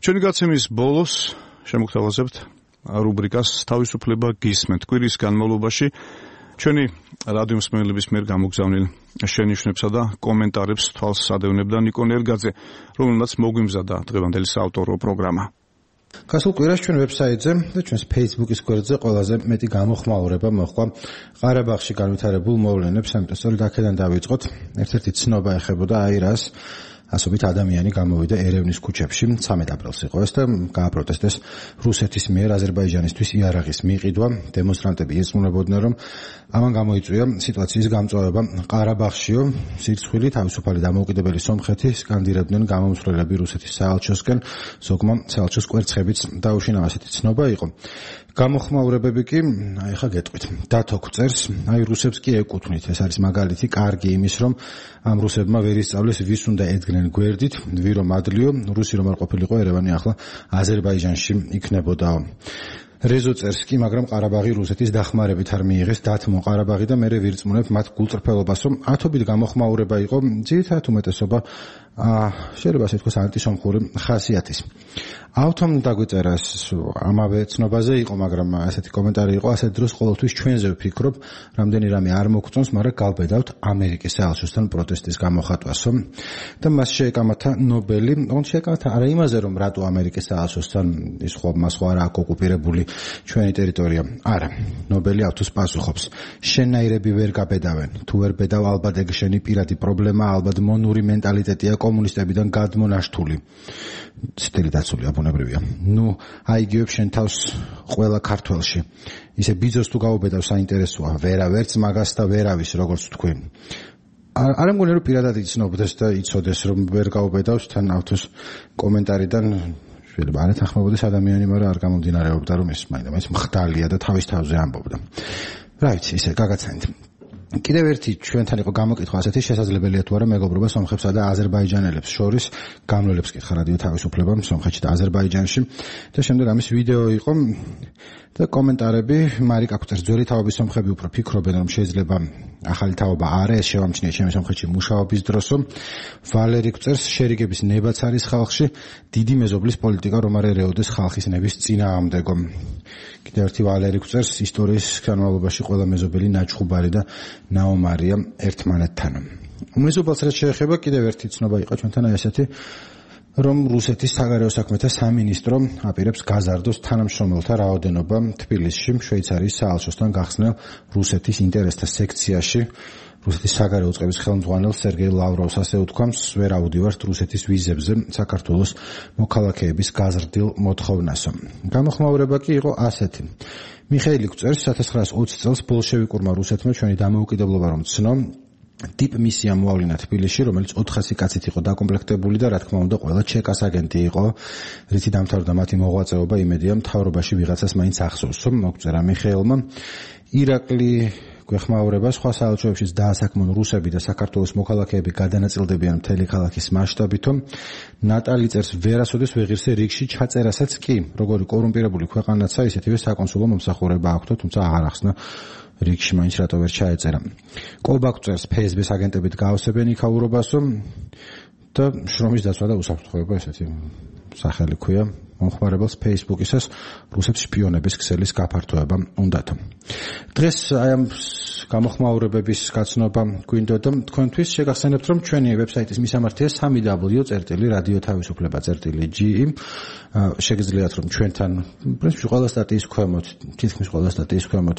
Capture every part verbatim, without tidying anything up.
ჩვენი გაცემის ბოლოს შემოგთავაზებთ რუბრიკას თავისუფლება გისმენთ. კვირის განმავლობაში ჩვენი რადიო მსმენელების მიერ გამოგზავნილ შენიშვნებსა და კომენტარებს თვალს ადევნებდა ნიკო ნერგაძე, რომელმაც მოგვიმზადა დღევანდელი საავტორო პროგრამა. გასულ კვირას ჩვენ ვებსაიტზე და ჩვენს Facebook-ის გვერდზე ყველაზე მეტი გამოხმაურება მოჰყვა ყარაბაღში განვითარებულ მოვლენებს, ამიტომ სწორედ აქედან დავიწყოთ. ერთ-ერთი ცნობა ეხებოდა აი რას ასობით ადამიანი გამოვიდა ერევნის ქუჩებში ცამეტ აპრილს იყო ეს და გააპროტესტეს რუსეთის მიერ აზერბაიჯანისთვის იარაღის მიყიდვა. დემონსტრანტები ეცნობოდნენ, რომ ამან გამოიწვია სიტუაციის გამწვავება ყარაბაღშიო, სირცხვილი თავისუფალი დამოუკიდებელი სომხეთი სკანდირებდნენ გამომცვლელები რუსეთის საელჩოსკენ, ზოგმა საელჩოს კვერცხებიც დაუშინა. ასეთი ცნობა იყო. გამოხმაურებები კი, აი ხა გეტყვით, დათო წერს, აი რუსებს კი ეკუთვნით. ეს არის მაგალითი კარგი იმის, რომ ამ რუსებმა ვერ ისწავლეს ვის უნდა ედგნენ გვერდით, ვირო მადლიო, რუსი რომ არ ყოფილიყო ერევანი ახლა აზერბაიჯანში იქნებოდაო. რეზო წერს კი, მაგრამ ყარაბაღი რუსეთის დახმარებით არ მიიღეს დათმო ყარაბაღი და მერე ვირწმუნებ მათ გულწრფელობას, რომ ათობით გამოხმაურება იყო ძირითადად უმეტესობა შეიძლება ასე თქვას ანტისომხური ხასიათის. ავთომ დაგვიწერა ამავე ცნობაზე იყო, მაგრამ ასეთი კომენტარი იყო, ასეთ დროს ყოველთვის ჩვენზე ვფიქრობ, რამდენი რამე არ მოგწონს, მაგრამ გავბედავთ ამერიკის საელჩოსთან პროტესტის გამოხატვასო და მას შეეკამათა ნობელი, ოღონდ შეეკამათა არა იმაზე, რომ რატო ამერიკის საელჩოსთან ის ხო მას ხო არა აქვს ოკუპირებული ჩვენი ტერიტორია. არა, ნობელი ავთოს პასუხობს. შენაირები ვერ გაბედავენ. თუ ვერ ბედავ, ალბათ ეგ შენი პირადი პრობლემა, ალბათ მონური მენტალიტეტია კომუნისტებიდან გადმონაშთული. სტილი დაცული აბუნებრივია. ნუ აიგივებ შენ თავს ყველა ქართველში. ისე ბიძოს თუ გაუბედავ საინტერესოა, ვერა ვერც მაგას და ვერავის, როგორც თქვი. არ მგონია რომ პირადად იცნობდეს და იცოდეს რომ ვერ გაუბედავს თან ავთოს კომენტარიდან შეიძლება არ ეთანხმებოდეს ადამიანი, მაგრამ არ გამომდინარეობდა რომ ეს მაინც მხდალია და თავის თავზე ამბობდა. რა ვიცი, ისე გაგაცანით. კიდევ ერთი ჩვენთან იყო გამოკითხვა ასეთი, შესაძლებელია თუ არა მეგობრობა სომხებსა და აზერბაიჯანელებს შორის. გამლელებს კითხა რადიო თავისუფლებამ სომხეთში და აზერბაიჯანში და შემდეგ ამის ვიდეო იყო და კომენტარები. მარიკა კვწერს, ძველი თაობის სომხები უფრო ფიქრობენ, რომ შეიძლება ახალი თაობა არა, ეს შევამჩნიეთ ჩემი სომხეთში მუშაობის დროსო. ვალერი კვწერს, შერიგების ნებაც არის ხალხში, დიდი მეზობლის პოლიტიკა რომ არ ერეოდეს ხალხის ნების წინააღმდეგო. კიდევ ერთი ვალერი კვწერს, ისტორიის განმავლობაში ყველა მეზობელი ნაჩხუბარი და ნაომარია ერთმანეთთან. მეზობელს რაც შეეხება, კიდევ ერთი ცნობა იყო ჩვენთან აი ესეთი, რომ რუსეთის საგარეო საქმეთა სამინისტრო აპირებს გაზარდოს თანამშრომელთა რაოდენობა თბილისში, შვეიცარიის საელჩოსთან გახსნილ რუსეთის ინტერესთა სექციაში. რუსეთის საგარეო უწყების ხელმძღვანელ სერგეი ლავროვს ასე უთქვამს, ვერ აუდივართ რუსეთის ვიზებზე საქართველოს მოქალაქეების გაზრდილ მოთხოვნასო. გამოხმაურება კი იყო ასეთი. მიხეილი კვწერს, ოქროს ათას ოცი წელს ბოლშევიკურმა რუსეთმა ჩვენი დამოუკიდებლობა რომ ცნო, ტიპ მისია მოავლინა თბილისში, რომელიც ოთხასი კაცით იყო დაკომპლექტებული და რა თქმა უნდა ყველა ჩეკას აგენტი იყო, რითი დამთავრდა მათი მოღვაწეობა. იმედია მთავრობაში ვიღაცას მაინც ახსოვს, მოგწერა მიხეილმა. ირაკლი გვეხმაურება, სხვა საელჩოებშიც დაასაქმონ რუსები და საქართველოს მოქალაქეები გადანაწილდებიან მთელი ქალაქის მასშტაბითო. ნატალი წერს, ვერასოდეს ვეღირსე რიგში ჩაწერასაც კი, როგორი კორუმპირებული ქვეყანაცა, ისეთივე საკონსულო მომსახურება აქვთ, თუმცა აღარ ახსნა რიგში მაინც რატო ვერ ჩაეწერა. კობაკ წერს, ფსბ-ს აგენტებით გაავსებენ იქაურობასო და შრომის დაცვა და უსაფრთხოება ესეთი სახელი ქვია მომხმარებელს Facebook-ისას რუსებს შპიონების ქსელის გაფართოება უნდათ. დღეს აი ამ გამოხმაურებების გაცნობა გვინდოდა თქვენთვის. შეგახსენებთ, რომ ჩვენი ვებსაიტის მისამართია სამი დაბლიუ წერტილი რადიო თავისუფლება წერტილი ჯი ი. შეგიძლიათ რომ ჩვენთან პრინციპში ყველა სტატიის ქვემოთ, თითქმის ყველა სტატიის ქვემოთ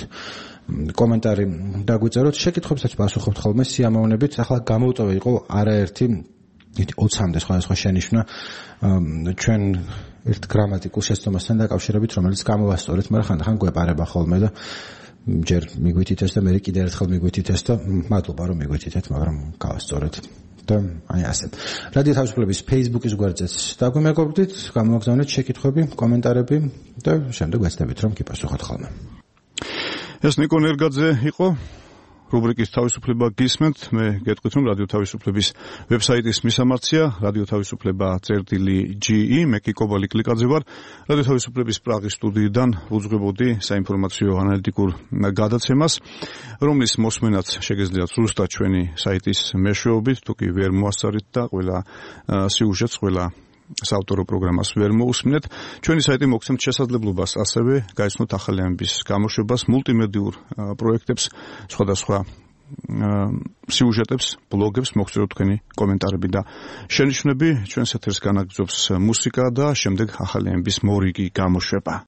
კომენტარი დაგვიწეროთ. შეკითხვებსაც პასუხობთ ხოლმე სიამოვნებით. ახლა გამოვტოვე იყო არაერთი ოცამდე სხვადასხვა შენიშვნა ჩვენ ერთ გრამატიკულ შეცდომასთან დაკავშირებით, რომელიც გამოვასწორეთ, მაგრამ ხანდახან გვეპარება ხოლმე და ჯერ მიგვითითეს და მე კიდევ ერთხელ მიგვითითეს და მადლობა რომ მიგვითითეთ, მაგრამ გავასწორეთ. და აი ასე. რადიო თავისუფლების Facebook-ის გვერდზეც დაგვიმეგობრდით, გამოგზავნეთ შეკითხვები, კომენტარები და შემდეგ ვეცდებით რომ გიპასუხოთ ხოლმე. ეს ნიკო ნერგაძე იყო. რუბრიკის თავისუფლება გისმენთ. მე გეტყვით რომ რადიო თავისუფლების ვებსაიტის მისამართია რადიო თავისუფლება წერტილი ჯი ი. მე კი კობალი კლიკაძე ვარ. რადიო თავისუფლების პრაღის სტუდიიდან ვუძღვებოდი საინფორმაციო ანალიტიკურ გადაცემას, რომლის მოსმენაც შეგეძლიათ ზუსტად ჩვენი საიტის მეშვეობით, თუ კი ვერ მოასწარით და ყველა სიუჟეტს, ყველა საავტორო პროგრამას ვერ მოусმინეთ. ჩვენი საიტი მოგცემთ შესაძლებლობას ასევე გაიცნოთ ახალი ამბის გამოშვებას, მულტიმედიურ პროექტებს, სხვადასხვა სიუჟეტებს, ბლოგებს, მოგწეროთ თქვენი კომენტარები და შენიშვნები. ჩვენს ეთერს განაგრძობს მუსიკა და შემდეგ ახალი ამბის მორიგი გამოშვება.